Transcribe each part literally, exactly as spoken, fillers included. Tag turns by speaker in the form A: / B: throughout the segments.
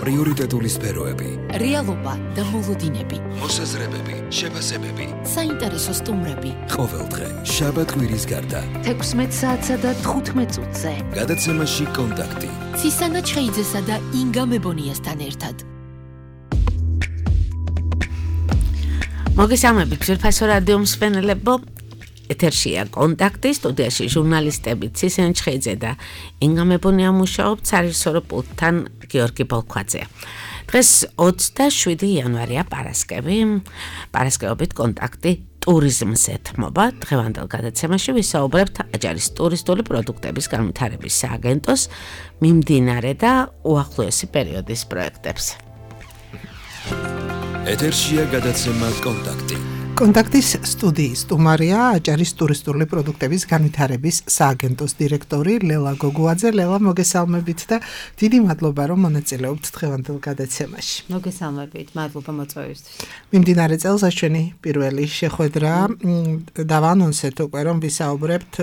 A: პრიორიტეტული სფეროები,
B: რეალობა და მოლოდინები,
A: მოსაზრებები, შეფასებები,
B: საინტერესო სტუმრები.
A: ყოველდღე შაბათ-კვირის გარდა
B: თექვსმეტ საათსა და თხუთმეტ წუთზე.
A: გადაცემაში კონტაქტი.
B: ცისანა ჩხეიძესა და ინგა მებონიასთან ერთად.
C: მოგესალმებით, ძვირფასო რადიო მსმენელებო. ეთერშია კონტაქტი, სტუდიაში ჟურნალისტები ცისანა ჩხეიძე და ინგა მებონია მუშაობთ, სარეჟისორო პულტთან გიორგი ბოლქვაძე. დღეს ოცდაშვიდი იანვარია, პარასკევი. პარასკევობით კონტაქტი ტურიზმს ეთმობა. დღევანდელ გადაცემაში ვისაუბრებთ აჯარის ტურისტული პროდუქტების განვითარების სააგენტოს მიმდინარე და უახლოესი პერიოდის პროექტებს.
A: ეთერშია გადაცემა კონტაქტი.
D: კონტაქტის სტუდიის სტუმარია აჯარის ტურისტული პროდუქტების განვითარების სააგენტოს დირექტორი ლელა გოგუაძე. ლელა, მოგესალმებით და დიდი მადლობა, რომ მონაწილეობთ დღევანდელ გადაცემაში.
E: მოგესალმებით, მადლობა მოწვევისთვის.
D: მიმდინარე წელს ჩვენი პირველი შეხვედრა დავანონსეთ უკვე, რომ ვისაუბრებთ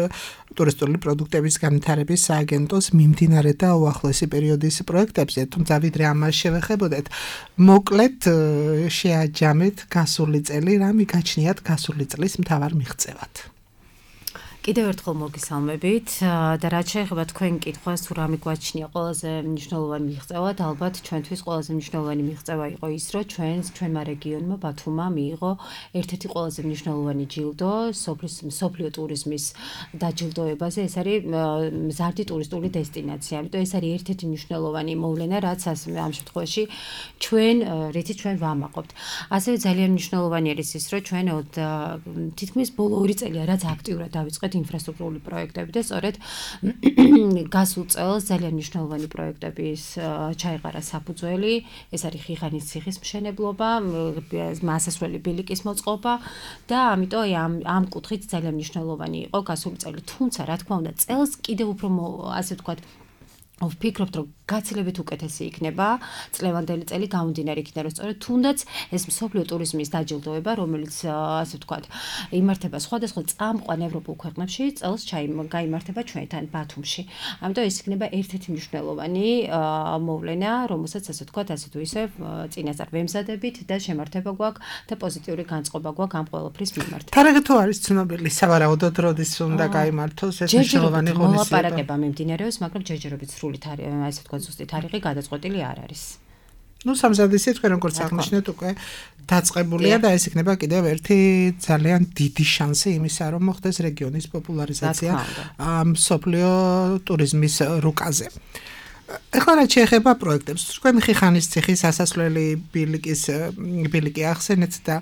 D: ტურისტული პროდუქტების განვითარების სააგენტოს მიმდინარე და უახლოესი პერიოდის პროექტებზე, თუმცა ვიდრე ამას შევეხებოდეთ, მოკლედ შეაჯამეთ გასული წელი, რა მიგაჩნიათ გასული წლის მთავარ მიღწევად.
E: კიდევ ერთხელ მოგესალმებით და რაც შეეხება თქვენ კითხვას, თუ რა მიგვაჩნია ყველაზე მნიშვნელოვანი მიღწევად, ალბათ ჩვენთვის ყველაზე მნიშვნელოვანი მიღწევა იყო ის, რომ ჩვენს ჩვენმა რეგიონმა ბათუმმა მიიღო ერთ-ერთი ყველაზე მნიშვნელოვანი ჯილდო მსოფლიო ტურიზმის დაჯილდოებაზე. ეს არის მზარდი ტურისტული დესტინაცია. ამიტომ ეს არის ერთ-ერთი მნიშვნელოვანი მოვლენა, რაც ამ შემთხვევაში ჩვენ რითიც ჩვენ ვამაყობთ. ასევე ძალიან მნიშვნელოვანი არის ის, რომ ჩვენ თითქმის ბოლო ორი წელია რაც აქტიურად დავიწყეთ ინფრასტრუქტურული პროექტები და სწორედ გასულ წელს ძალიან მნიშვნელოვანი პროექტების ჩაეყარა საფუძველი. ეს არის ხიხანის ციხის მშენებლობა, მასასვლელი ბილიკის მოწყობა და ამიტომ ამ ამ კუთხით ძალიან მნიშვნელოვანი იყო გასული წელი. თუმცა რა თქმა უნდა, წელს კიდევ უფრო ასე ვთქვათ ვფიქრობთ, რომ გაცილებით უკეთესი იქნება წლევანდელი წელი გამომდინარე იქიდან, რომ სწორედ თუნდაც ეს მსოფლიო ტურიზმის დაჯილდოება, რომელიც ასე ვთქვათ, იმართება სხვადასხვა წამყვან ევროპულ ქვეყნებში, წელს გაიმართება ჩვენთან ბათუმში. ამიტომ ეს იქნება ერთ-ერთი მნიშვნელოვანი მოვლენა, რომელსაც ასე ვთქვათ, ასე თუ ისე წინასწარ ვემზადებით და შემართება გვაქვს და პოზიტიური განწყობა გვაქვს ამ ყველაფრის მიმართ.
D: თარიღი თუ არის ცნობილი, სავარაუდოდ როდის უნდა გაიმართოს ეს მნიშვნელოვანი ღონისძიება?
E: მოლაპარაკება მიმდინარეობს, მაგრამ ჯერჯერობით ასე ვთქვათ, ზუსტი თარიღი გადაწყვეტილი არ არის.
D: ნუ სამზადისი თქვენ როგორც აღნიშნეთ უკვე დაწყებულია და ეს იქნება კიდევ ერთი ძალიან დიდი შანსი იმისა, რომ მოხდეს რეგიონის პოპულარიზაცია მსოფლიო ტურიზმის რუკაზე. ეხლა რაც შეეხება პროექტებს, თქვენ ხიხანის ციხის ასასვლელი ბილიკის ბილიკი ახსენეთ და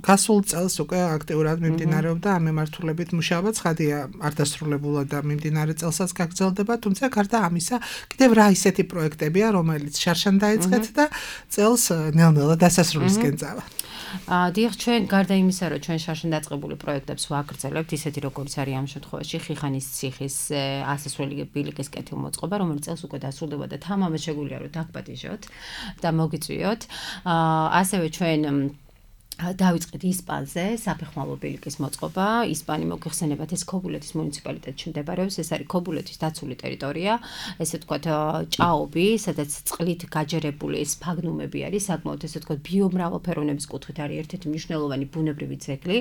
D: გასულ წელს უკვე აქტიურად მიმდინარეობდა ამ მიმართულებით მუშაობა. ცხადია, არ დასრულებულა და მიმდინარე წელსაც გაგრძელდება, თუმცა გარდა ამისა, კიდევ რა ისეთი პროექტებია, რომელიც შარშან დაიწყეთ და წელს ნელ-ნელა დასასრულისკენ წავა.
E: დიახ, ჩვენ გარდა იმისა, რომ ჩვენ შარშან დაწყებული პროექტებს ვაგრძელებთ, ისეთი როგორც არის ამ შემთხვევაში ხიხანის ციხის ასასვლელი ბილიკის კეთილმოწყობა, რომელიც წელს უკვე დასრულდება და თამამად შეგვიძლია რომ დაგპატიჟოთ და მოგიწვიოთ. ასევე ჩვენ დავიწყეთ ისპანზე საფეხმავლო ბილიკის მოწყობა. ისპანი მოგეხსენებათ, ეს ქობულეთის მუნიციპალიტეტში მდებარეობს. ეს არის ქობულეთის დაცული ტერიტორია, ესე ვთქვათ, ჭაობი, სადაც წყლით გაჯერებული სფაგნუმები არის, საკმაოდ ესე ვთქვათ, ბიომრავალფეროვნების კუთხით არის ერთ-ერთი მნიშვნელოვანი ბუნებრივი ძეგლი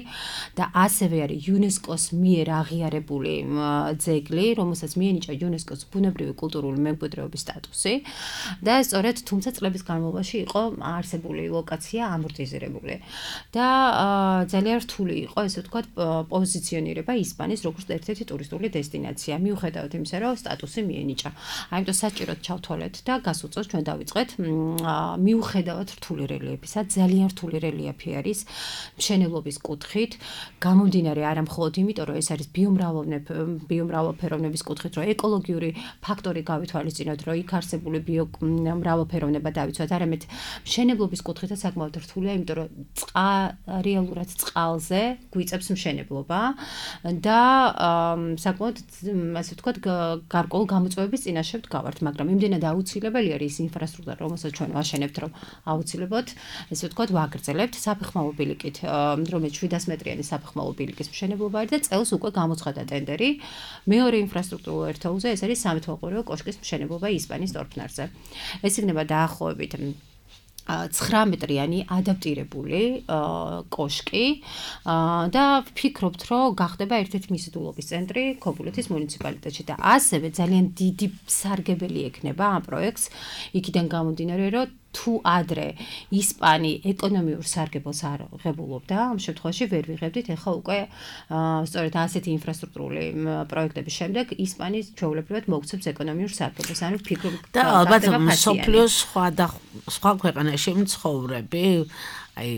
E: და ასევე არის იუნესკოს მიერ აღიარებული ძეგლი, რომელსაც მიენიჭა იუნესკოს ბუნებრივი კულტურული მემკვიდრეობის სტატუსი და სწორედ თუმცა წლების განმავლობაში იყო არსებული ლოკაცია ამორტიზირებული. და ძალიან რთული იყო, ესე ვთქვათ, პოზიციონირება ისპანის როგორც ერთ-ერთი ტურისტული დესტინაცია. მიუხედავად იმისა, რომ სტატუსი მიენიჭა. ამიტომ საჭიროდ ჩავთვალეთ და გასულ წელს ჩვენ დავიწყეთ მიუხედავად რთული რელიეფისა, ძალიან რთული რელიეფი არის მშენებლობის კუთხით, გამომდინარე არა მხოლოდ იმიტომ, რომ ეს არის ბიომრავალფეროვნების კუთხით, რომ ეკოლოგიური ფაქტორი გავითვალისწინოთ, რომ იქ არსებული ბიომრავალფეროვნება დავიცვათ, არამედ მშენებლობის კუთხითაც საკმაოდ რთულია, იმიტომ რომ რეალურად წყალზე გვიწევს მშენებლობა და საკმაოდ ასე ვთქვათ გარკვეულ გამოწვევების წინაშე ვდგავართ, მაგრამ იმდენად აუცილებელია ის ინფრასტრუქტურა, რომელსაც ჩვენ ვაშენებთ, რომ აუცილებლად ესე ვთქვათ ვაგრძელებთ საფეხმავლო ბილიკით, რომელიც შვიდას მეტრიანი საფეხმავლო ბილიკის მშენებლობა არის და წელს უკვე გამოცხადა ტენდერი მეორე ინფრასტრუქტურულ ერთეულზე, ეს არის სამეთვალყურეო კოშკის მშენებლობა ისპანიის ტორფნარზე. ეს იქნება დაახლოებით ცხრა მეტრიანი ადაპტირებული კოშკი და ვფიქრობთ, რომ გახდება ერთ-ერთი მიზიდულობის ცენტრი ქობულეთის მუნიციპალიტეტში და ასევე ძალიან დიდი სარგებელი ექნება ამ პროექტს იქიდან გამომდინარე, რომ თუ ადრე ისპანი ეკონომიურ სარგებელს არ ღებულობდა, ამ შემთხვევაში ვერ ვიღებდით, ეხლა უკვე სწორედ ასეთი ინფრასტრუქტურული პროექტების შემდეგ ისპანიის ჩვეულებრივად მოგვცემს ეკონომიურ სარგებელს, ანუ ვფიქრობ
C: და ალბათ მსოფლიოს სხვა და სხვა ქვეყანაში მცხოვრები, აი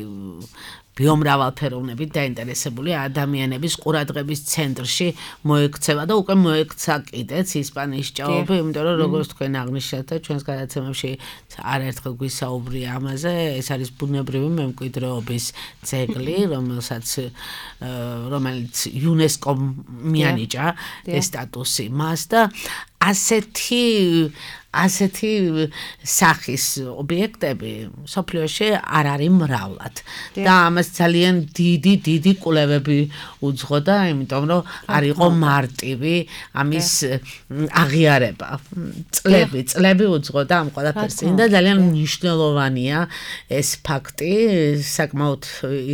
C: ბიომრავალფეროვნებით დაინტერესებული ადამიანების ყურადღების ცენტრში მოექცევა და უკვე მოექცა კიდეც ისპანიის ჭაობი, იმიტომ რომ როგორც თქვენ აღნიშნეთ და ჩვენს გადაცემებში არაერთხელ გვისაუბრია ამაზე, ეს არის ბუნებრივი მემკვიდრეობის ძეგლი, რომელსაც რომელიც იუნესკომ მიანიჭა ეს სტატუსი მას და ასეთი ასეთი სახის ობიექტები სოფლიოში არ არის მრავლად და ამას ძალიან დიდი დიდი კვლევები უძღოდა, იმიტომ რომ არ იყო მარტივი ამის აღიარება. წლები წლები უძღოდა ამ ყველაფერს და ძალიან მნიშვნელოვანია ეს ფაქტი, საკმაოდ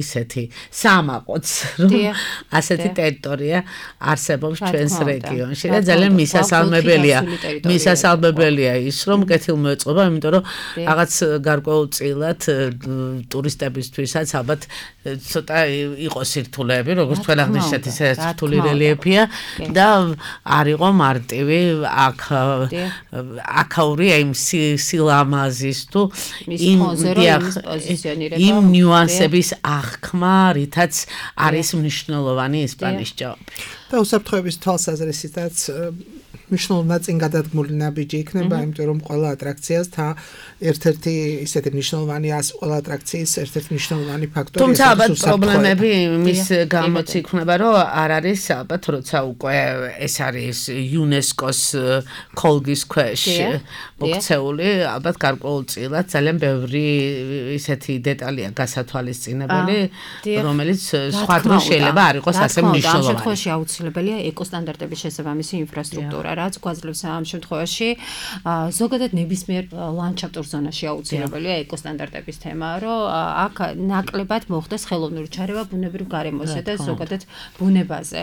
C: ისეთი სამაყოც, რომ ასეთი ტერიტორია არსებობს ჩვენს რეგიონში და ძალიან მისასალმებელია მისასალმებელია ის რომ კეთილმოეწყობა, იმიტომ რომ რაღაც გარკვეულწილად ტურისტებისთვისაც ალბათ ცოტა იყოს სირთულეები, როგორც თქვენ აღნიშნეთ, ისე რთული რელიეფია და არ იყო მარტივი აქ აქაური იმ სილამაზის თუ იმ იმ ნიუანსების აღქმა, რითაც არის მნიშვნელოვანი ისპანიის ჭაობი.
D: და უსაფრთხოების თვალსაზრისითაც მნიშვნელოვნად წინ გადადგმული ნაბიჯი იქნება, იმიტომ რომ ყველა ატრაქციას თა ერთ-ერთი ისეთი მნიშვნელოვანი ას ყველა ატრაქციის ერთ-ერთი მნიშვნელოვანი ფაქტორი.
C: თუმცა ალბათ პრობლემები მის გამოც იქნება, რომ არ არის ალბათ როცა უკვე ეს არის იუნესკოს ქოლგის ქვეშ მოქცეული, ალბათ გარკვეულწილად ძალიან ბევრი ისეთი დეტალია გასათვალისწინებელი, რომელიც სხვა დროს შეიძლება არ იყოს ასე მნიშვნელოვანი.
E: ამ შემთხვევაში აუცილებელია ეკოსტანდარტების შესაბამისი ინფრასტრუქტურა, რაც გვაძლევს ამ შემთხვევაში ზოგადად ნებისმიერ ლანდშაფტურ ზონაში აუცილებელია ეკოსტანდარტების თემა, რომ აქ ნაკლებად მოხდეს ხელოვნური ჩარევა ბუნებრივ გარემოზე და ზოგადად ბუნებაზე.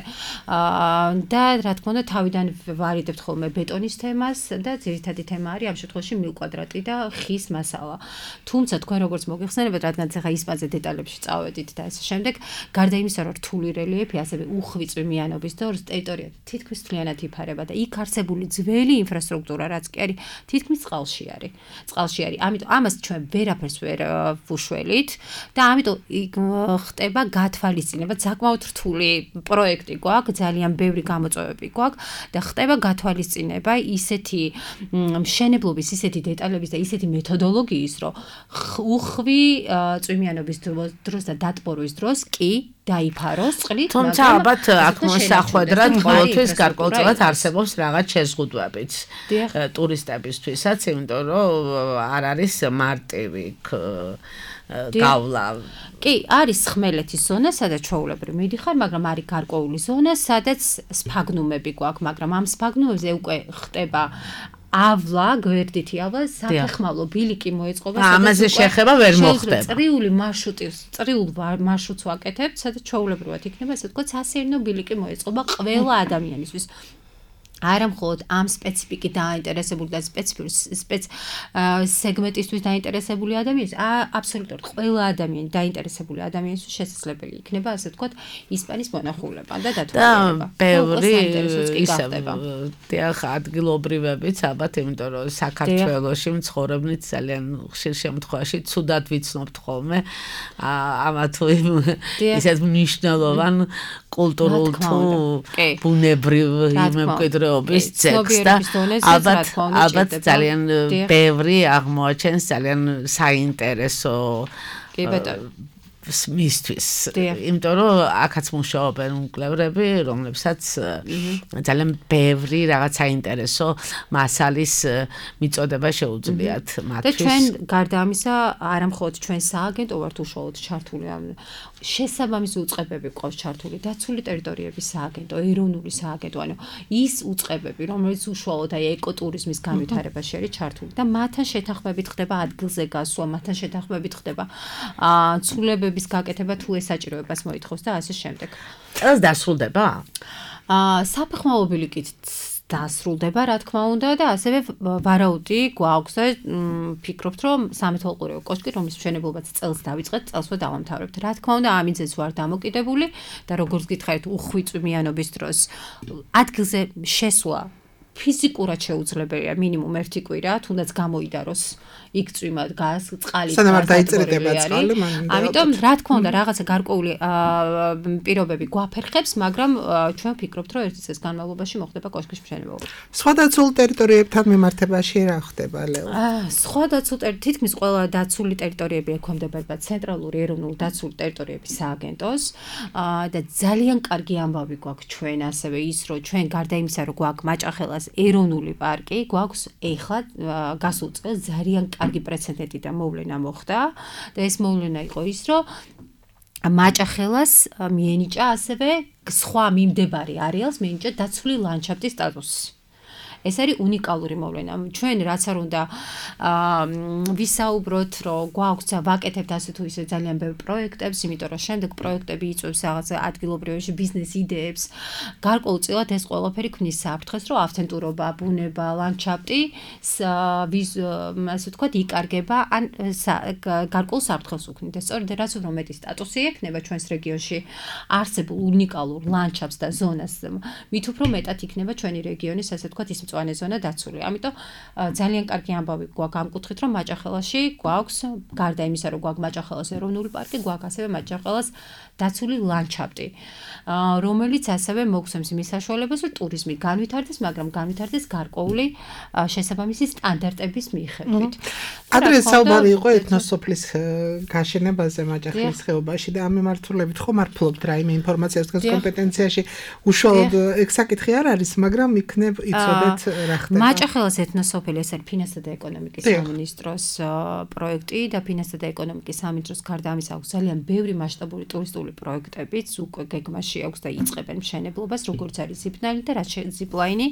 E: და რა თქმა უნდა, თავიდან ვარიდებთ ხოლმე ბეტონის თემას და ძირითადი თემა არის ამ შემთხვევაში მილკვადრატი და ხის მასალა. თუმცა თქვენ როგორც მოგიხსენებათ, რადგან ახლა ისპანზე დეტალებში წავედით და ასე შემდეგ, გარდა იმისა, რომ რთული რელიეფი, ასევე უხვიწვი მიანობის და ტერიტორია თითქმის მთლიანად იფარება და იქ არსებული ძველი ინფრასტრუქტურა, რაც კი არის თითქმის წყალში არის. წყალში არის. ამიტომ ამას ჩვენ ვერაფერს ვერ ვუშველით და ამიტომ ხდება გათვალისწინება, საკმაოდ რთული პროექტი გვაქვს, ძალიან ბევრი გამოწვევები გვაქვს და ხდება გათვალისწინება ისეთი მშენებლობის, ისეთი დეტალების და ისეთი მეთოდოლოგიის, რომ უხვი წვიმიანობის დროს და დატბორვის დროს კი დაიფაროს წყლით,
C: თუმცა ალბათ აქ მოსახვედრად ყოველთვის გარკვეულწილად არსებობს რაღაც შეზღუდვებიც ტურისტებისთვისაც, იმიტომ რომ არ არის მარტივი გავლა.
E: კი, არის ხმელეთის ზონა, სადაც ჩვეულებრივ მიდიხარ, მაგრამ არის გარკვეული ზონა, სადაც სფაგნუმები გვაქვს, მაგრამ ამ სფაგნუმებზე უკვე ხდება ავლა, გვერდითი ავლა, საფეხმავლო ბილიკი მოეწყობა,
C: ამაზე შეხება ვერ მოხდება.
E: წრიული მარშრუტი, წრიულ მარშრუტს ვაკეთებთ, სადაც ჩვეულებრივად იქნება, ასე ვთქვათ, სასეირნო ბილიკი მოეწყობა ყველა ადამიანისთვის. არა მხოლოდ ამ სპეციფიკით დაინტერესებული და სპეციფიური სპეც სეგმენტისთვის დაინტერესებული ადამიანის, აბსოლუტურად ყველა ადამიანი დაინტერესებული ადამიანისთვის შესაძლებელი იქნება, ასე ვთქვათ, ისპანიის მონახულება და დათვალიერება.
C: და ბევრი ისე დიახ ადგილობრივებიც ალბათ, იმიტომ რომ საქართველოში მცხოვრებნით ძალიან ხშირ შემთხვევაში ცუდად ვიცნობთ ხოლმე ამა თუ ისეთ მნიშვნელოვან კულტურულ თუ ბუნებრივ მემკვიდრეობის ძეგლს და ალბათ ალბათ ძალიან ბევრი აღმოაჩენს ძალიან საინტერესო მისთვის. იმიტომ რომ აქაც მუშაობენ მკვლევრები, რომლებსაც ძალიან ბევრი რაღაც საინტერესო მასალის მიწოდება შეუძლიათ მათთვის.
E: და ჩვენ გარდა ამისა, არა მხოლოდ ჩვენ სააგენტო ვართ უშუალოდ ჩართული ამ შესაბამისი უწყებები ყავს ჩართული დაცული ტერიტორიების სააგენტო, ეროვნული სააგენტო, ანუ ის უწყებები, რომელიც უშუალოდ აი ეკოტურიზმის განვითარებაში არის ჩართული და მათთან შეთანხმებით ხდება ადგილზე გასვლა, მათთან შეთანხმებით ხდება აა ცვლილებების გაკეთება თუ ეს საჭიროებას მოითხოვს და ასე შემდეგ.
C: წელს დასრულდება?
E: აა საფეხმავლო ბილიკით დასრულდება, რა თქმა უნდა და ასევე ვარაუდი გვაქვს და ფიქრობთ, რომ სამეთვალყურეო კოშკი, რომლის მშენებლობაც წელს დავიწყეთ, წელსვე დავამთავრებთ. რა თქმა უნდა, ამინძეს ვარ დამოკიდებული და როგორც გითხარით, უხვიწვიანობის დროს ადგილზე შესვლა ფიზიკურად შეუძლებელია მინიმუმ ერთი კვირა, თუნდაც გამოიდაროს იქ წვიმად გას წყალი
D: სანამ არ დაიწერდება წყალი,
E: ამიტომ რა თქმა უნდა რაღაცა გარკვეული პირობები გვაფერხებს, მაგრამ ჩვენ ვფიქრობთ, რომ ერთი წელს განმავლობაში მოხდება კოშკის მშენებლობა.
D: სხვა დაცულ ტერიტორიებთან მიმართებაში რა ხდება, ლეო?
E: სხვა დაცულ ტერიტორიები, თითქმის ყველა დაცული ტერიტორიები ექვემდებარება ცენტრალური ეროვნული დაცული ტერიტორიების სააგენტოს და ძალიან კარგი ამბავი გვაქვს ჩვენ ასევე ის, რომ ჩვენ გარდა იმისა, რომ გვაქვს მაჭახელას ეროვნული პარკი, გვაქვს ეხლა გასულ წელს ძალიან კარგი პრეცედენტი და მოვლენა მოხდა და ეს მოვლენა იყო ის, რომ მაჭახელას მიენიჭა ასევე სხვა მიმდებარე არეალს მიენიჭა დაცული ლანდშაფტის სტატუსი. ეს არის უნიკალური მოვლენა. ჩვენ რაც არ უნდა ვისაუბროთ, რომ გვაქვს ვაკეთებთ ასე თუ ისე ძალიან ბევრ პროექტებს, იმიტომ რომ შემდეგ პროექტები იწვევს რაღაც ადგილობრივი ბიზნეს იდეებს. გარკვეულწილად ეს ყველაფერი ქმნის საფრთხეს, რომ ავთენტურობა, ბუნება, ლანდშაფტი ასე ვთქვათ, იკარგება, ან გარკვეულ საფრთხეს უქმნის. სწორედ რაც უფრო მეტი სტატუსი ექნება ჩვენს რეგიონში არსებულ უნიკალურ ლანდშაფტს და ზონას, მით უფრო მეტად იქნება ჩვენი რეგიონის ასე ვთქვათ ის მწვანე ზონა დაცული. ამიტომ ძალიან კარგი ამბავი გვაქვს ამ კუთხით, რომ მაჭახელაში გვაქვს გარდა იმისა, რომ გვაქვს მაჭახელას ეროვნული პარკი, გვაქვს ასევე მაჭახელას დაცული ლანდშაფტი, რომელიც ასევე მოგცემს იმის საშუალებას, რომ ტურიზმი განვითარდეს, მაგრამ განვითარდეს გარკვეული შესაბამისი სტანდარტების მიხედვით.
D: ადრე საუბარი იყო ეთნოსოფლის გაშენებაზე მაჭახელის ხეობაში და ამ მიმართულებით ხომ არ ფლობთ რაიმე ინფორმაციას თქვენს კომპეტენციაში. უშუალოდ ეგ საკითხი არ არის, მაგრამ იქნებ იცოდეთ რა ხდება.
E: მაჭახელას ეთნოსოფელი ეს არის ფინანსთა და ეკონომიკის სამინისტროს პროექტი და ფინანსთა და ეკონომიკის სამინისტროს გარდა ამისა აქვს ძალიან ბევრი მასშტაბური ტურისტული პროექტებიც უკვე გეგმაში აქვს და იწყებენ მშენებლობას, როგორც არის ზიპლაინი და რაც ზიპლაინი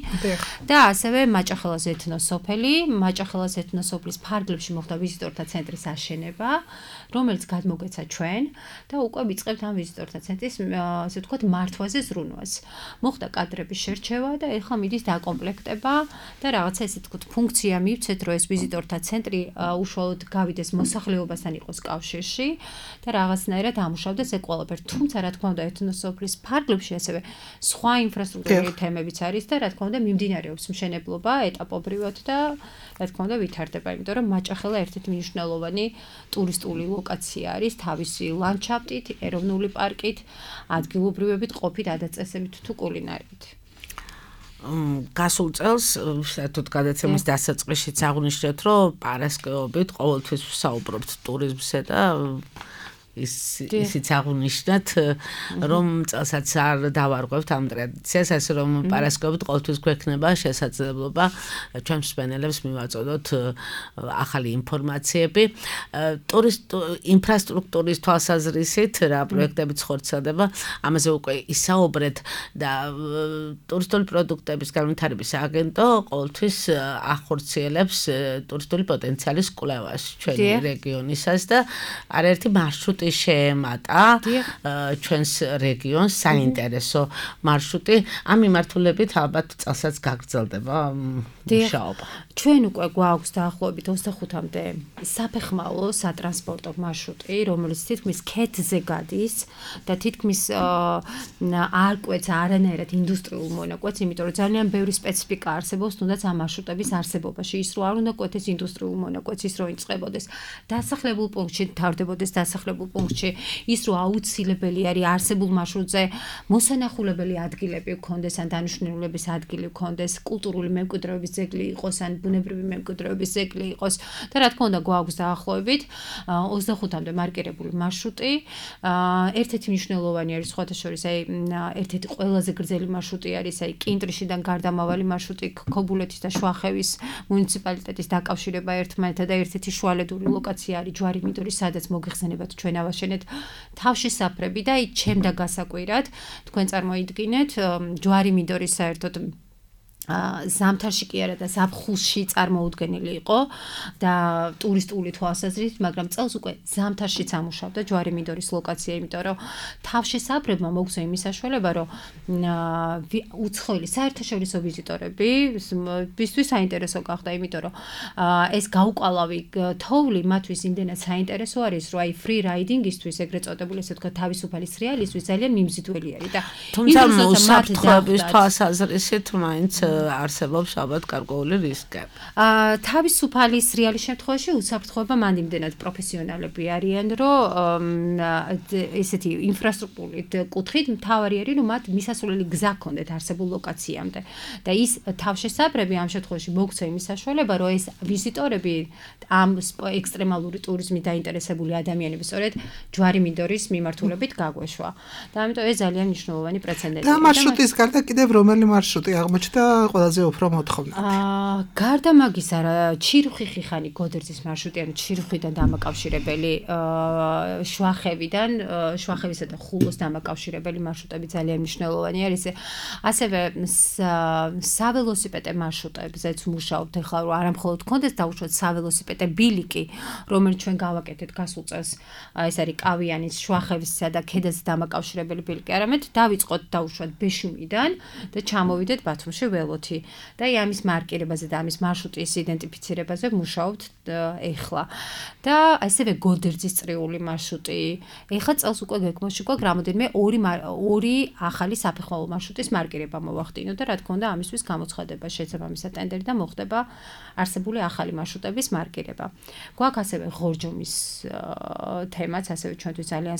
E: და ასევე მაჭახელას ეთნოსოფელი, მაჭახელას ეთნოსოფლის ფარგლებში მოხდა ვიზიტორთა ცენტრის აშენება, რომელიც გადმოგეცა ჩვენ და უკვე ვიწყებთ ამ ვიზიტორთა ცენტრის ასე ვთქვათ მართვაზე ზრუნვას. მოხდა კადრების შერჩევა და ეხლა მიდის დაკომპლექტება და რაღაცა ესე ვთქვათ ფუნქცია მივცეთ, რომ ეს ვიზიტორთა ცენტრი უშუალოდ გავიდეს მოსახლეობასთან იყოს კავშირში და რაღაცნაირად ამუშავდეს ეს ყველაფერი. თუმცა რა თქმა უნდა ეთნოსოფლის ფარგლებში ასევე სხვა ინფრასტრუქტურული თემებიც არის და რა თქმა უნდა მიმდინარეობს მშენებლობა ეტაპობრივად და რა თქმა უნდა ვითარდება, იმიტომ რომ მაჭახელა ერთ-ერთი მნიშვნელოვანი ტურისტული ლოკაცია არის თავისი ლანდშაფტით, ეროვნული პარკით, ადგილობრივებით ყოფით, ადაწესებით თუ კულინარიით.
C: გასულ წელს საერთოდ გადაცემის დასაწყისშიც აღვნიშნეთ, რომ პარასკევობით ყოველთვის ვსაუბრობთ ტურიზმზე და ის ისიც აღვნიშნეთ, რომ წელსაც არ დავარღვევთ ამ ტრადიციას, ასე რომ პარასკევობით ყოველთვის გვექნება შესაძლებლობა ჩვენს მსმენელებს მივაწოდოთ ახალი ინფორმაციები. ტურისტ ინფრასტრუქტურის თვალსაზრისით რა პროექტებიც ხორციელდება, ამაზე უკვე ისაუბრეთ და ტურისტული პროდუქტების განვითარების აგენტო ყოველთვის ახორციელებს ტურისტული პოტენციალის კვლევას ჩვენი რეგიონისას და არაერთი მარშრუტი შეემატა ჩვენს რეგიონს საინტერესო მარშრუტი. ამ მიმართულებით ალბათ წელსაც გაგრძელდება მუშაობა.
E: ჩვენ უკვე გვაქვს დაახლოებით ოცდახუთამდე საფეხმავლო სატრანსპორტო მარშრუტი, რომელიც თითქმის ქედზე გადის და თითქმის არ კვეთს არანაირად ინდუსტრიულ მონაკვეთს, იმიტომ რომ ძალიან ბევრი სპეციფიკა არსებობს თუნდაც ამ მარშრუტების არსებობაში. ის რო არ უნდა კვეთეს ინდუსტრიულ მონაკვეთს, ის რო იწყებოდეს დასახლებულ პუნქტში, თავდებოდეს დასახლებულ პუნქტში, ის რო აუცილებელი არის არსებულ მარშრუტზე მოსანახულებელი ადგილები გქონდეს ან დანიშნულების ადგილი გქონდეს, კულტურული მემკვიდრეობის მემკვიდრეობის ძეგლი იყოს ან ბუნებრივი მემკვიდრეობის ძეგლი იყოს და რა თქმა უნდა გვაქვს დაახლოებით ოცდახუთამდე მარკირებული მარშრუტი. ერთ-ერთი მნიშვნელოვანი არის სხვათა შორის აი ერთ-ერთი ყველაზე გრძელი მარშრუტი არის აი კინტრიშიდან გარდამავალი მარშრუტი ქობულეთის და შვახევის მუნიციპალიტეტის დაკავშირება ერთმანეთთან და ერთ-ერთი შუალედური ლოკაცია არის ჯვარი-მინდორი, სადაც მოგეხსენებათ ჩვენ ავაშენეთ თავშესაფრები და აი ჩემდა გასაკვირად თქვენ წარმოიდგინეთ ჯვარი-მინდორი საერთოდ ზამთარში კი არა და ზაფხულში წარმოუდგენელი იყო და ტურისტული თვალსაზრისით, მაგრამ წელს უკვე ზამთარშიც ამუშავდა ჯვარი-მინდორის ლოკაცია, იმიტომ რომ თავშესაფრებმა მოგვცა იმის საშუალება, რომ უცხოელი საერთაშორისო ვიზიტორები ბისთვის საინტერესო გახდა, იმიტომ რომ ეს გაუკვალავი თოვლი მათთვის იმდენად საინტერესო არის, რომ აი free riding-ისთვის ეგრეთ წოდებული, ესე ვთქვათ, თავისუფალი სრიალისთვის ძალიან მიმზიდველი არის და
C: თუმცა უსაფრთხოების თვალსაზრისით მაინც არსებობს ალბათ გარკვეული რისკები.
E: აა თავისუფალი სრიალის შემთხვევაში უსაფრთხოება მან იმდენად პროფესიონალები არიან, რომ ესეთი ინფრასტრუქტურით კუთხით მთავარი არის, რომ მათ მისასვლელი გზა ჰქონდეთ არსებულ ლოკაციამდე და ის თავშესაფრები ამ შემთხვევაში მოგვცა იმის საშუალება, რომ ეს ვიზიტორები ამ ექსტრემალური ტურიზმით დაინტერესებული ადამიანები სწორედ ჯვარი-მინდორის მიმართულებით გაგვეშვა. და ამიტომ ეს ძალიან მნიშვნელოვანი პრეცედენტია.
D: და მარშრუტის გარდა კიდევ რომელი მარშრუტი აღმოჩნდა ყველაზე უფრო მოთხოვნად?
E: აა გარდა მაგისა, ჩირუხი-ხიხანი გოდერძის მარშრუტი, ანუ ჩირუხიდან დამაკავშირებელი აა შვახევიდან, შვახევისა და ხულოს დამაკავშირებელი მარშრუტები ძალიან მნიშვნელოვანი არის. ასევე საველოსიპედე მარშრუტებზეც მუშაობთ ახლა, რომ არა მხოლოდ გქონდეს დაუშვათ საველოსიპედე ბილიკი, რომელიც ჩვენ გავაკეთეთ გასულ წელს, ეს არის კავიანის, შვახევისა და ქედაზე დამაკავშირებელი ბილიკი, არამედ დავიწყოთ დაუშვათ ბეშუმიდან და ჩამოვიდეთ ბათუმში ველოთი და ამის მარკირებაზე და ამის მარშრუტის იდენტიფიცირებაზე მუშაობთ ეხლა. და ასევე გოდერძის წრიული მარშრუტი. ეხლა წელს უკვე გეგმაში გვაქვს რამოდენიმე ორი ორი ახალი საფეხმავლო მარშრუტის მარკირება მოვახდინოთ და რა თქმა უნდა ამისთვის გამოცხადება შესაბამისად ტენდერი და მოხდება არსებული ახალი მარშრუტების მარკირება. გვაქვს ასევე ღორჯომის თემაც, ასევე ჩვენთვის ძალიან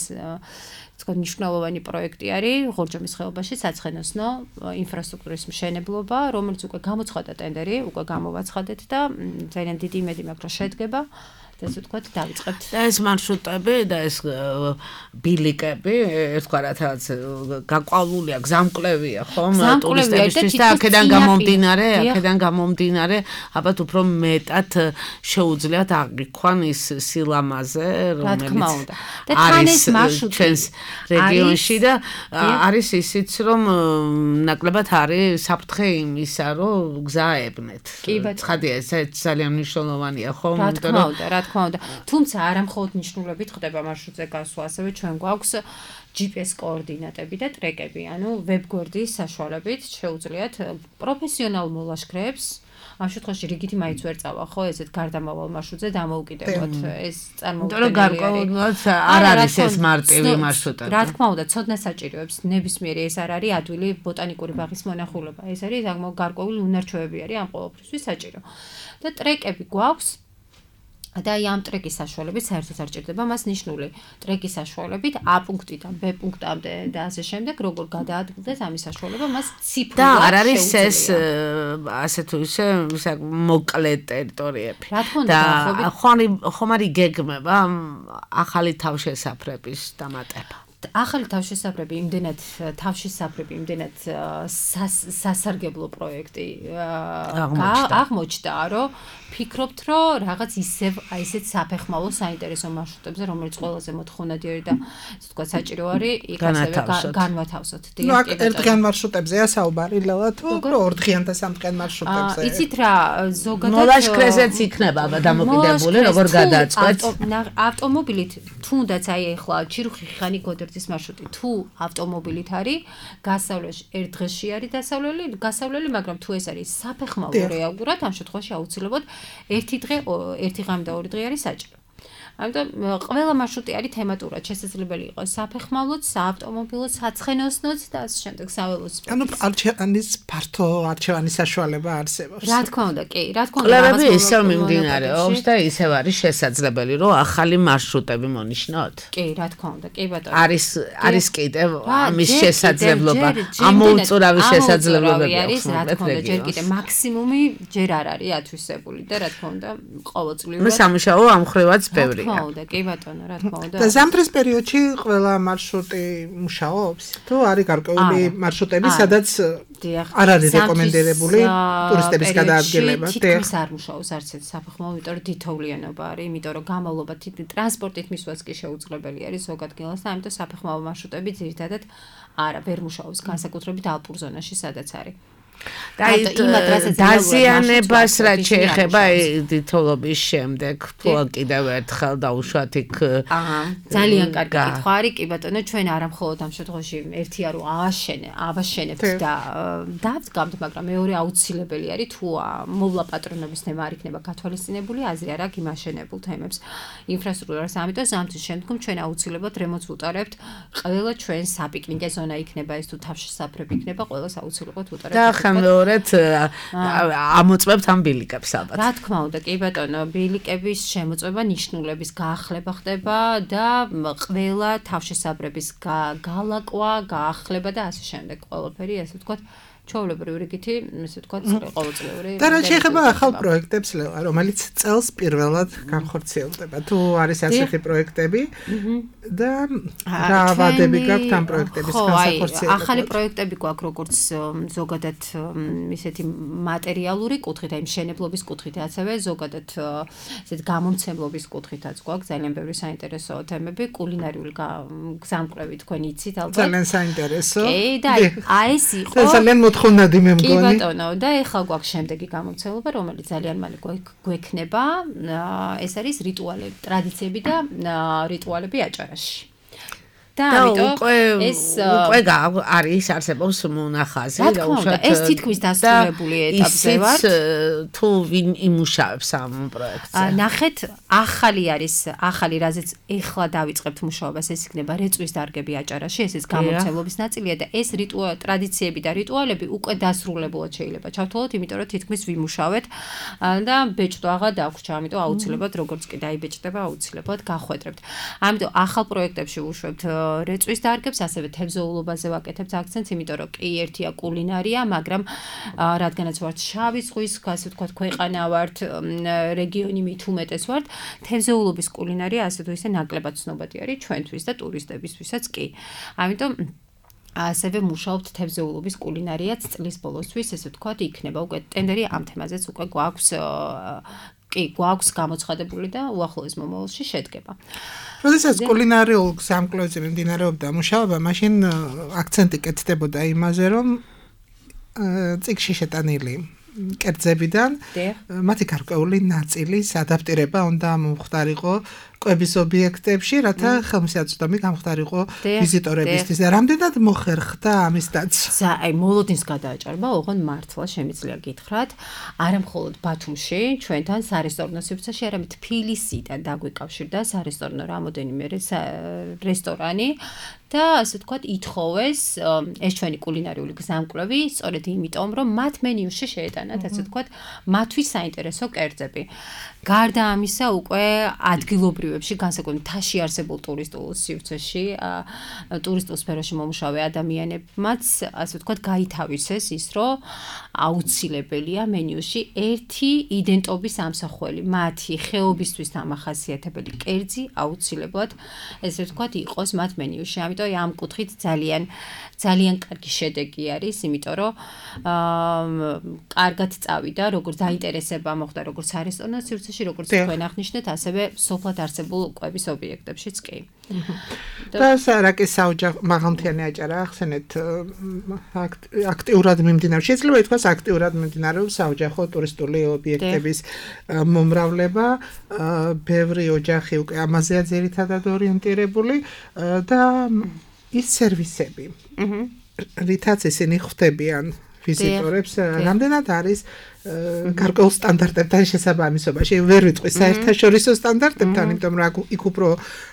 E: თქვა მნიშვნელოვანი პროექტი არის ღორჯომის ხეობაში საცხენოსნო ინფრასტრუქტურის მშენებლობა, რომელიც უკვე გამოცხადა ტენდერი, უკვე გამოვაცხადეთ და ძალიან დიდი იმედი მაქვს, რომ შედგება. ესე ვთქვათ, დავიწყებთ.
C: და ეს მარშრუტები და ეს ბილიკები, ეს თქვა რაც გაყვავულია, გზამკვლევია, ხომ? ტურისტებისთვის და აქედან გამომდინარე, აქედან გამომდინარე, ალბათ უფრო მეტად შეუძლიათ აღიქვან ის სილამაზე, რომელიც არის ჩვენს რეგიონში და არის ისიც, რომ ნაკლებად არის საფრთხე იმისა, რომ გზა აებნეთ. ცხადია, ეს ძალიან მნიშვნელოვანია, ხომ?
E: რა თქმა უნდა, რა თქმა უნდა. თუმცა არა მხოლოდ ნიშნულებით ხდება მარშრუტზე გასვლა, ასევე ჩვენ გვაქვს ჯი პი ეს კოორდინატები და ტრეკები, ანუ ვებგვერდის საშუალებით შეუძლიათ პროფესიონალ მოლაშქრეებს ამ შემთხვევაში რიგითი მაინც ვერ წავა, ხო, ესეთ გარდამავალ მარშრუტზე დამოუკიდებლად ეს წარმოუდგენელი.
C: გარკვეულად არ არის ეს მარტივი მარშრუტი.
E: რა თქმა უნდა, ცოდნა საჭიროებს ნებისმიერი ეს არ არის ადვილი ბოტანიკური ბაღის მონახულება. ეს არის გარკვეული უნარჩვევები არის ამ ყოველფრისთვის საჭირო. და ტრეკები გვაქვს და აი ამ ტრეკის საშუალებით საერთოდ არ ჭირდება მას ნიშნული ტრეკის საშუალებით A პუნქტიდან B პუნქტამდე და ასე შემდეგ როგორ გადაადგილდეს ამის საშუალება მას ციფრულად
C: და არ არის ეს ასე თუ ისე მოკლე ტერიტორიები და ხომ არის გეგმება ახალი თავშესაფრების დამატება
E: ახალი თავშესაფრები იმდენად თავშესაფრები იმდენად სასარგებლო პროექტი აღმოჩნდა რომ ფიქრობთ რომ რაღაც ისევ აი ესეთ საფეხმავლო საინტერესო მარშრუტებზე რომელიც ყველაზე მოთხოვნადი არის და ასე ვთქვათ საჭირო არის იქ ასევე განვათავსოთ.
D: ნუ აქ ერთდღიან მარშრუტებზეა საუბარი ლელა თუ ორდღიან და სამდღიან მარშრუტებზე.
E: იცით რა ზოგადად
C: მოლაშქრეზეც იქნება დამოკიდებული როგორ გადააწყვეტ
E: ავტომობილით თუნდაც აი ახლა ჩირუხი-ხიხანი გოდერძის მარშრუტი თუ ავტომობილით არის გასავლელი ერთ დღეში არის დასავლელი გასავლელი მაგრამ თუ ეს არის საფეხმავლო რეალურად ამ შემთხვევაში აუცილებლად ერთი დღე ერთი ღამე და ორი დღე არის საჭირო. ამიტომ ყველა მარშრუტი არის თემატურად შესაძლებელი იყოს საფეხმავლოც, საავტომობილოც, საცხენოსნოც და ასე შემდეგ საველოსიპედოც.
D: ანუ არჩევანის ფართო არჩევანის საშუალება არსებობს.
E: რა თქმა უნდა, კი, რა თქმა უნდა.
C: კვლევები ისევ მიმდინარეობს და ისევ არის შესაძლებელი, რომ ახალი მარშრუტები მონიშნოთ.
E: კი, რა თქმა უნდა, კი ბატონო.
C: არის არის კიდევ ამის შესაძლებლობა, ამოუწურავი შესაძლებლობები
E: არის, რა თქმა უნდა, ჯერ კიდევ მაქსიმუმი ჯერ არ არის ათვისებული და რა თქმა უნდა, ყოველწლიურად.
C: მე სამუშაო ამ ხრივაც ბევრია.
E: რა თქმა უნდა, კი ბატონო, რა თქმა უნდა.
D: და ზამთრის პერიოდში ყველა მარშრუტი მუშაობს? თუ არის გარკვეული მარშრუტები, სადაც არ არის რეკომენდირებული ტურისტების გადაადგილება?
E: თითქმის არ მუშაობს არც ერთ საფეხმავლო, იმიტომ რომ თითოვლიანობა არის, იმიტომ რომ გამავლობა ტრანსპორტით მისვლაც კი შეუძლებელი არის ზოგ ადგილას და ამიტომ საფეხმავლო მარშრუტები ძირითადად არა, ვერ მუშაობს, განსაკუთრებით ალპურ ზონაში, სადაც არის.
C: და დაზიანებას რაც შეეხება თითოლობის შემდეგ თუ კიდევ ერთხელ დაუშვათ იქ
E: აჰა ძალიან კარგი კითხვა არის კი ბატონო ჩვენ არა მხოლოდ ამ შემთხვევაში ერთი არო ააშენე ავაშენებთ და დავდგამთ მაგრამ მეორე აუცილებელი არის თუ მოვლა პატრონობის თემა არ იქნება გათვალისწინებული აზრი არ აქვს იმ აშენებულ თემებს ინფრასტრუქტურას ამიტომ ზამთრის შემდგომ ჩვენ აუცილებლად რემონტს ვუტარებთ ყველა ჩვენ საპიკნიკე ზონა იქნება ეს თუ თავშესაფრები იქნება ყველას აუცილებლად ვუტარებთ
C: მეორედ ამოწმებთ ამ ბილიკებს ალბათ.
E: რა თქმა უნდა, კი ბატონო, ბილიკების შემოწმება ნიშნულების გაახლება ხდება და ყველა თავშესაბრების გალაკვა, გაახლება და ასე შემდეგ. ყველაფერი ასე ვთქვათ, ჩვეულებრივი რიგითი, ესე ვთქვათ, ყოველწლიური.
D: და რა შეეხება ახალ პროექტებს, ლევა, რომელიც წელს პირველად განხორციელდება. თუ არის ასეთი პროექტები და რა ვადები გაქვთ ამ პროექტების განხორციელებაში?
E: ახალი პროექტები გვაქვს როგორც ზოგადად ისეთი მატერიალური კუთხით, აი მშენებლობის კუთხით, ასევე ზოგადად ესეთ გამომცემლობის კუთხითაც გვაქვს ძალიან ბევრი საინტერესო თემები, კულინარიული გზამკვლევი თქვენ იცით ალბათ.
D: ძალიან საინტერესო.
E: კი, და აი ეს იყო
D: ძალიან მოთხოვნადი მე მგონი.
E: კი ბატონო, და ეხლა გვაქვს შემდეგი გამომცემლობა, რომელიც ძალიან მალე გვექნება. ეს არის რიტუალები, ტრადიციები და რიტუალები აჭარაში. და ამიტომ ეს
C: უკვე არის არსებობს მონახაზი
E: და უშუალოდ ეს თითქმის დასრულებული ეტაპზე ვართ.
C: თუ ვინ იმუშავებს ამ პროექტზე?
E: ნახეთ, ახალი არის, ახალი რაზეც ეხლა დავიწყებთ მუშაობას, ეს იქნება რეწვის დარგები აჭარაში, ესეც გამომცემლობის ნაწილია და ეს რიტუალ ტრადიციები და რიტუალები უკვე დასრულებულად შეიძლება ჩავთვალოთ, იმიტომ რომ თითქმის ვიმუშავეთ და ბეჭდვა დაგვრჩა, ამიტომ აუცილებლად როგორც კი დაიბეჭდება, აუცილებლად გახვედრებთ. ამიტომ ახალ პროექტებში ვუშვებთ რეწვის დარგებს, ასევე თევზეულობაზე ვაკეთებთ აქცენტს, იმიტომ რომ კი ერთია კულინარია, მაგრამ რადგანაც ვართ შავი ზღვის, ასე ვთქვათ, ქვეყანა ვართ, რეგიონი მით უმეტეს ვართ, თევზეულობის კულინარია ასე თუ ისე ნაკლებად ცნობადი არის ჩვენთვის და ტურისტებისთვისაც კი. ამიტომ ასევე მუშაობთ თევზეულობის კულინარიაც წლის ბოლოსთვის, ესე ვთქვათ, იქნება უკვე ტენდერი ამ თემაზეც უკვე გვაქვს კი, გვაქვს გამოცხადებული და უახლოეს მომავალში შედგება.
D: როდესაც კულინარიულ გზამკვლევზე მიმდინარეობდა მუშაობა, მაშინ აქცენტი კეთდებოდა იმაზე, რომ წიგნში შეტანილი კერძებიდან მათი გარკვეული ნაწილის ადაპტირება უნდა მომხდარიყო კვების ობიექტებში, რათა ხელმისაწვდომი გამხდარიყო ვიზიტორებისთვის. და რამდენად მოხერხდა ამის დაცვა?
E: აი, მოლოდინს გადააჭარბა, ოღონდ მართლა შემიძლია გითხრათ, არა მხოლოდ ბათუმში, ჩვენთან სარესტორნო სივრცეში, არამედ თბილისიდან დაგვიკავშირდა სარესტორნო რამოდენიმე რესტორანი და ასე ვთქვათ, ითხოვეს ეს ჩვენი კულინარიული გზამკვლევი, სწორედ იმიტომ, რომ მათ მენიუში შეეტანათ, ასე ვთქვათ, მათთვის საინტერესო კერძები. გარდა ამისა, უკვე ადგილობრივებში, განსაკუთრებით მთაში არსებულ ტურისტულ სივრცეში, ტურისტულ სფეროში მომუშავე ადამიანებმაც, ასე ვთქვათ, გაითავისეს ის, რომ აუცილებელია მენიუში ერთი იდენტობის ამსახველი, მათი ხეობისთვის დამახასიათებელი კერძი აუცილებლად, ესე ვთქვათ, იყოს მათ მენიუში. ამიტომ ამ კუთხით ძალიან ძალიან კარგი შედეგი არის, იმიტომ რომ კარგად წავიდა, როგორც დაინტერესება მოხდა, როგორც სარესტორნო სივრცეში, როგორც თქვენ აღნიშნეთ, ასევე სოფლად არსებულ კვების ობიექტებშიც კი.
D: და სარაკის საოჯახო მაღალმთიანი აჭარა ახსენეთ აქტიურად მიმდინარეობს. შეიძლება ითქვას აქტიურად მიმდინარეობს საოჯახო ტურისტული ობიექტების მომრავლება, ბევრი ოჯახი უკვე ამაზეა ძირითადად ორიენტირებული და ის სერვისები, რითაც ისინი ხვდებიან ვიზიტორებს, რამდენად არის გარკვეულ სტანდარტებთან შესაბამისობაში ვერ ვიტყვი საერთაშორისო სტანდარტებთან, იმიტომ რომ იქ უფრო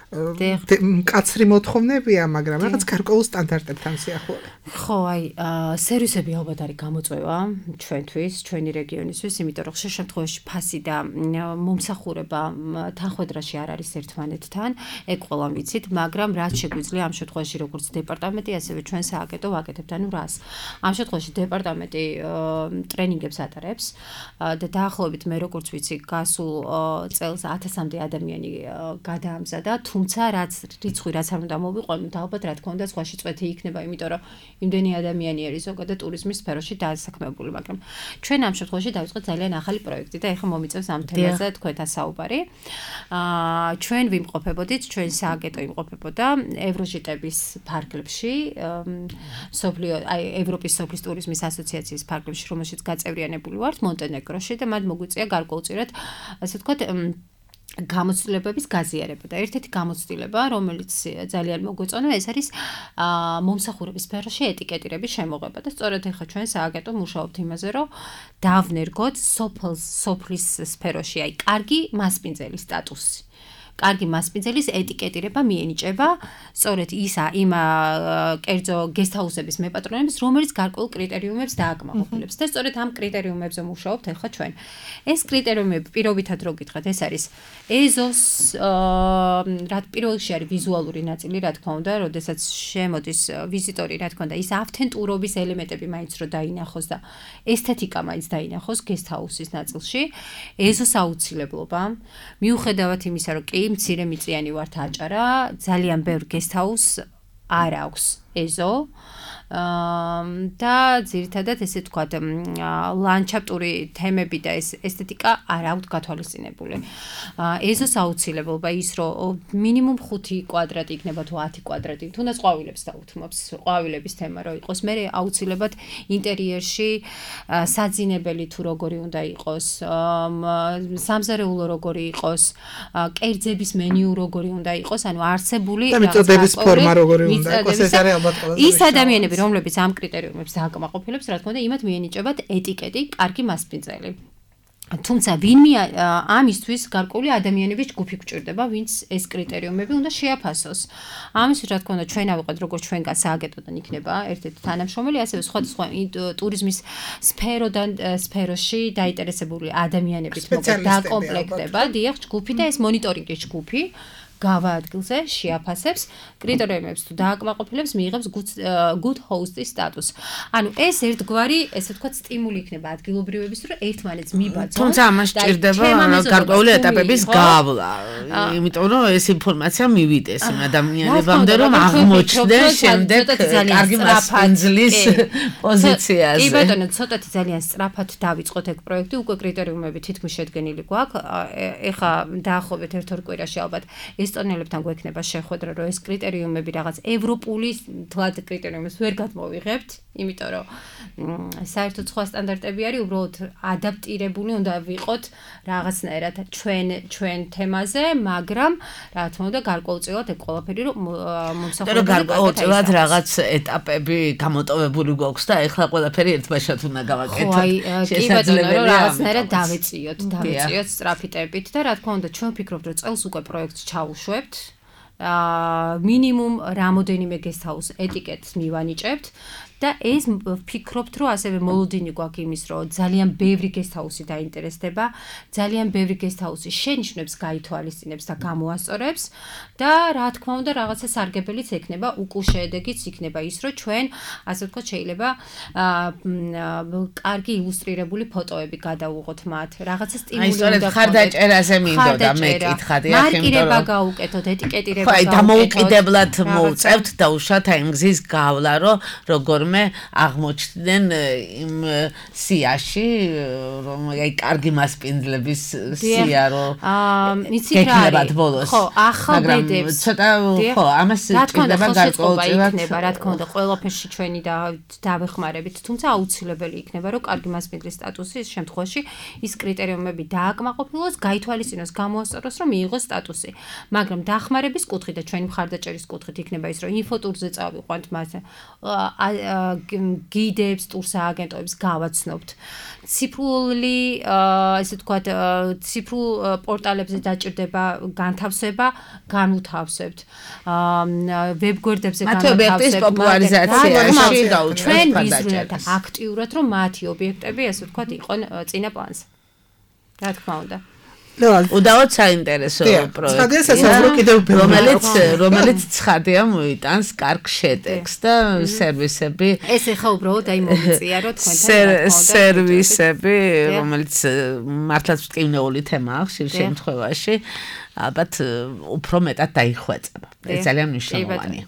D: კაცრი მოთხოვნებია, მაგრამ რაღაც გარკვეულ სტანდარტებთან სიახლოვე.
E: ხო, აი, სერვისები ალბათ არის გამოწვევა ჩვენთვის, ჩვენი რეგიონისთვის, იმიტომ რომ ხშირ შემთხვევაში ფასი და მომსახურება თანხმედრაში არ არის ერთმანეთთან, ეგ ყველამ ვიცით, მაგრამ რაც შეგვიძლია ამ შემთხვევაში როგორც დეპარტამენტი, ასევე ჩვენ სააგენტო ვაკეთებთ, ანუ რას? ამ შემთხვევაში დეპარტამენტი ტრენინგებს ატარებს და დაახლოებით მე როგორც ვიცი, გასულ წელს ათასამდე ადამიანი გადაამზადა, თუმცა რაც რიცხვი რაც არ უნდა მოვიყვანოთ, ალბათ რა თქმა უნდა სხვაში წვეთი იქნება, იმიტომ რომ იმდენი ადამიანი არის ზოგადად ტურიზმის სფეროში დასაქმებული, მაგრამ ჩვენ ამ შემთხვევაში დავიწყეთ ძალიან ახალი პროექტი და ეხლა მომიწევს ამ თემაზე თქვენთან საუბარი. აა ჩვენ ვიმყოფებოდით, ჩვენ სააგენტო იმყოფებოდა ევროჟიტების ფარგლებში, სოფლიო, აი ევროპის სოფლის ტურიზმის ასოციაციის ფარგლებში, რომელშიც გაწევრიანებული ვართ მონტენეგროში და მათ მოგვიწია გარკვეულწილად, ასე ვთქვათ, გამოცდილებების გაზიარება და ერთ-ერთი გამოცდილება, რომელიც ძალიან მოგვეწონა, ეს არის მომსახურების სფეროში ეტიკეტირების შემოღება და სწორედ ახლა ჩვენ სააგენტო მუშაობთ იმაზე, რომ დავნერგოთ სოფლის სოფლის სფეროში, აი, კარგი მასპინძელის სტატუსი. კარგი მასპინძელის ეტიკეტირება მიენიჭება სწორედ ისა იმ კერძო გესტჰაუსების მეპატრონებს, რომელიც გარკვეულ კრიტერიუმებს დააკმაყოფილებს და სწორედ ამ კრიტერიუმებზე მუშაობთ ახლა ჩვენ. ეს კრიტერიუმები პირობითად რო გითხრათ, ეს არის ეზოს რა პირველში არის ვიზუალური ნაწილი, რა თქმა უნდა, როდესაც შემოდის ვიზიტორი, რა თქმა უნდა, ის ავთენტურობის ელემენტები მაინც რო დაინახოს და ესთეტიკა მაინც დაინახოს გესტჰაუსის ნაწილში, ეზოს აუცილებლობა, მიუხედავად იმისა, რომ კი მცირე მიწიანი ვართ აჭარა, ძალიან ბევრ გესტჰაუსს არ აქვს ეზო. და ძირითადად ესე ვთქვათ, ლანდშაფტური თემები და ეს ესთეტიკა არ აქვთ გათვალისწინებული. ეზოს აუცილებლობა ის, რომ მინიმუმ ხუთი კვადრატი იქნება თუ ათი კვადრატი, თუნდაც ყვავილებს დაუთმობს, ყვავილების თემა რო იყოს, მე აუცილებლად ინტერიერში საძინებელი თუ როგორი უნდა იყოს, სამზარეულო როგორი იყოს, კერძების მენიუ როგორი უნდა იყოს, ანუ არსებული
D: და მიწოდების ფორმა როგორი უნდა იყოს, ეს არის ალბათ ყველაზე
E: ის ადამიანები რომლებიც ამ კრიტერიუმებს დააკმაყოფილებს, რა თქმა უნდა, იმათ მიენიჭებათ ეტიკეტი, კარგი მასპინძელი. თუმცა ვინმე ამისთვის გარკვეული ადამიანების ჯგუფი გვჭირდება, ვინც ეს კრიტერიუმები უნდა შეაფასოს. ამისთვის, რა თქმა უნდა, ჩვენ ავიყოთ როგორც ჩვენგან სააგენტოდან იქნება ერთ-ერთი თანამშრომელი, ასევე სხვადასხვა ტურიზმის სფეროდან სფეროში დაინტერესებული ადამიანებით მოკლედ დაკომპლექტება, დიახ, ჯგუფი და ეს მონიტორინგის ჯგუფი გავა ადგილზე შეაფასებს კრიტერიუმებს თუ დააკმაყოფილებს მიიღებს good host-ის სტატუსს. ანუ ეს ერთგვარი, ესე ვთქვათ, სტიმული იქნება ადგილობრივების, რომ ერთმანეთს მიბაძონ.
C: თუმცა ამას სჭირდება გარკვეული ეტაპების გავლა. იმიტომ რომ ეს ინფორმაცია მივიდეს იმ ადამიანებამდე, რომ აღმოჩნდნენ შემდეგ კარგი მასპინძლის პოზიციაზე.
E: კი ბატონო, ცოტათი ძალიან სწრაფად დავიწყოთ ეგ პროექტი, უკვე კრიტერიუმები თითქმის შედგენილი გვაქვს. ეხა დაახლოებით ერთ-ორ კვირაში ალბათ ესტონელებთან გვექნება შეხვედრა, რომ ეს კრიტერიუმები რაღაც ევროპული თლად კრიტერიუმებს ვერ გადმოვიღებთ, იმიტომ რომ საერთოდ სხვა სტანდარტები არის, უბრალოდ ადაპტირებული უნდა ვიყოთ რაღაცნაირად ჩვენ ჩვენ თემაზე, მაგრამ რა თქმა უნდა გარკვეულწილად ეგ ყველაფერი რომ მომსახურება
C: გარკვეულწილად რაღაც ეტაპები გამოტოვებული გვაქვს და ეხლა ყველაფერი ერთბაშად უნდა გავაკეთოთ.
E: ხო, აი, კი ბატონო, რომ რაღაცნაირად დავეწიოთ, დავეწიოთ სწრაფი ტემპით და რა თქმა უნდა ჩვენ ვფიქრობთ, რომ წელს უკვე პროექტს ჩავუშვებთ. აა მინიმუმ რამოდენიმე გესტჰაუს ეტიკეტს მივანიჭებთ და ეს ვფიქრობთ, რომ ასევე მოლოდინი გვაქვს იმის, რომ ძალიან ბევრი გესტჰაუსი დაინტერესდება, ძალიან ბევრი გესტჰაუსი შენიშვნებს გაითვალისწინებს და გამოასწორებს და რა თქმა უნდა რაღაცა სარგებელიც ექნება, უკუშედეგიც იქნება ის, რომ ჩვენ ასე ვთქვათ შეიძლება კარგი ილუსტრირებული ფოტოები გადავუღოთ მათ, რაღაცა სტიმული უნდა.
C: აი, სწორედ ხარდაჭერაზე მინდოდა მე კითხადი,
E: ახლა მარკირება გავუკეთოთ, ეტიკეტირება გავუკეთოთ.
C: ხო, დამოუკიდებლად მოუწევთ და უშუალოდ აი მგზის გავლა, რომ როგორ მე აღმოჩნდნენ იმ სიაში, რომ აი კარგი მასპინძლების სია რომ გეკნებათ ბოლოს.
E: ხო, ახალ ბედებს.
C: ცოტა ხო, ამას ჭირდება გარკვეულწილად.
E: იქნება, რა თქმა უნდა, ყველაფერში ჩვენი დავეხმარებით, თუმცა აუცილებელი იქნება, რომ კარგი მასპინძლის სტატუსი ის შემთხვევაში ის კრიტერიუმები დააკმაყოფილოს, გაითვალისწინოს, გამოასწოროს, რომ მიიღოს სტატუსი. მაგრამ დახმარების კუთხით და ჩვენი მხარდაჭერის კუთხით იქნება ის, რომ ინფოტურზე წავიყვანთ მათ გიდებს, ტურსააგენტოებს გავაცნობთ. ციფრული, ესე ვთქვათ, ციფრულ პორტალებზე დაჭირდება განთავსება, განუთავსებთ. ვებგვერდებზე განუთავსებთ.
C: პოპულარიზაციაში
E: ჩვენ ვიზრუნებთ აქტიურად, რომ მათი ობიექტები, ესე ვთქვათ, იყონ წინა პლანზე. რა თქმა უნდა.
C: უდავოდ საინტერესო პროექტი, რომელიც რომელიც ცხადია მოიტანს კარგ შედეგს და სერვისები.
E: ეს ეხა უბრალოდ აი მომიწია რომ თქვენთან
C: სერვისები, რომელიც მართლაც მტკივნეული თემაა ხშირ შემთხვევაში, ალბათ უფრო მეტად დაიხვეწება. ეს ძალიან მნიშვნელოვანია.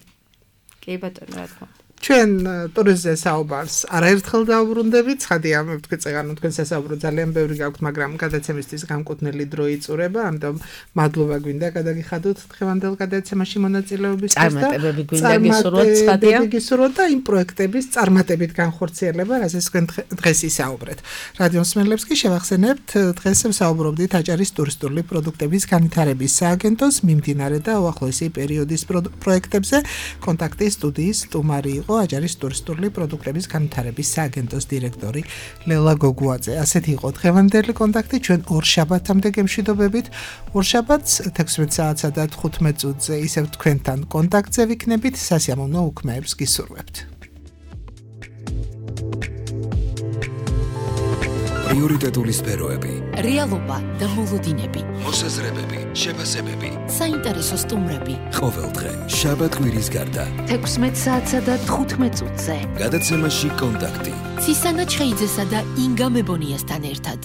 E: კი ბატონო, რა თქმა უნდა.
D: ჩვენ ტურიზმზე საუბარს არაერთხელ დავუბრუნდებით, ცხადია, მე ვთქვი წეგანო თქვენ სასაუბრო ძალიან ბევრი გაქვთ, მაგრამ გადაცემისთვის გამკუთვნილი დრო იწურება, ამიტომ მადლობა გვინდა გადაგიხადოთ დღევანდელ გადაცემაში მონაწილეობის
C: და წარმატებები გვინდა გისურვოთ, ცხადია.
D: გისურვოთ და იმ პროექტების წარმატებით განხორციელება, რასაც თქვენ დღეს ისაუბრეთ. რადიო მსმენელებს კი შევახსენებთ, დღეს ვსაუბრობდით აჭარის ტურისტული პროდუქტების განვითარების სააგენტოს მიმდინარე და უახლოესი პერიოდის პროექტებზე. კონტაქტის სტუდიის სტუმარი იყო აჭარის ტურისტული პროდუქტების განვითარების სააგენტოს დირექტორი ლელა გოგუაძე. ასეთი იყო დღევანდელი კონტაქტი, ჩვენ ორ შაბათამდე გემშვიდობებით. ორ შაბათს თექვსმეტ საათსა და თხუთმეტ წუთზე ისევ თქვენთან კონტაქტზე ვიქნებით, სასიამოვნო უქმეებს გისურვებთ.
A: პრიორიტეტული სფეროები,
B: რეალობა და მოლოდინები,
A: მოსაზრებები, შეფასებები,
B: საინტერესო სტუმრები.
A: ყოველდღე შაბათ-კვირის გარდა
B: თექვსმეტ საათსა და თხუთმეტ წუთზე
A: გადაცემაში კონტაქტი.
B: ცისანა ჩხეიძესა და ინგა მებონიასთან ერთად.